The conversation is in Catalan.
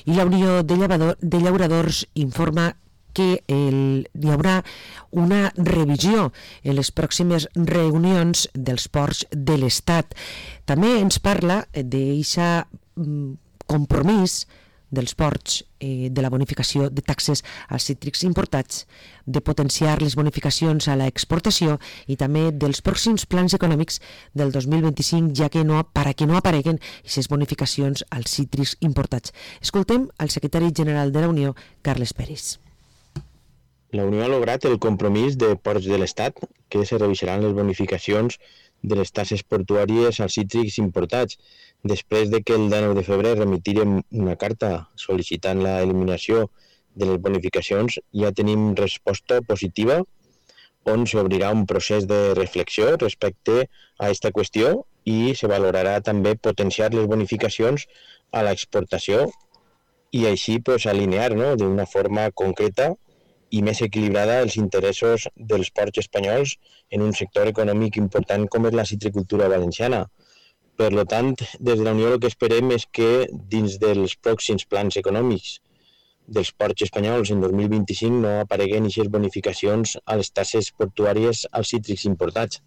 I la Unió de Llauradors informa que hi haurà una revisió en les pròximes reunions dels ports de l'Estat. També ens parla d'aquest compromís dels ports de la bonificació de taxes als cítrics importats, de potenciar les bonificacions a l'exportació i també dels pròxims plans econòmics del 2025, ja que perquè no apareguen aquestes bonificacions als cítrics importats. Escoltem al secretari general de la Unió, Carles Peris. La Unió ha lograt el compromís de Ports de l'Estat que se revisaran les bonificacions de les taxes portuàries als cítrics importats. Després de que el 19 de febrer remitirem una carta sol·licitant l'eliminació de les bonificacions, ja tenim resposta positiva on s'obrirà un procés de reflexió respecte a aquesta qüestió i se valorarà també potenciar les bonificacions a l'exportació i així alinear d'una forma concreta i més equilibrada els interessos dels ports espanyols en un sector econòmic important com és la citricultura valenciana. Per tant, des de la Unió el que esperem és que dins dels pròxims plans econòmics dels ports espanyols en 2025 no apareguen aquestes bonificacions a les taxes portuàries als cítrics importats.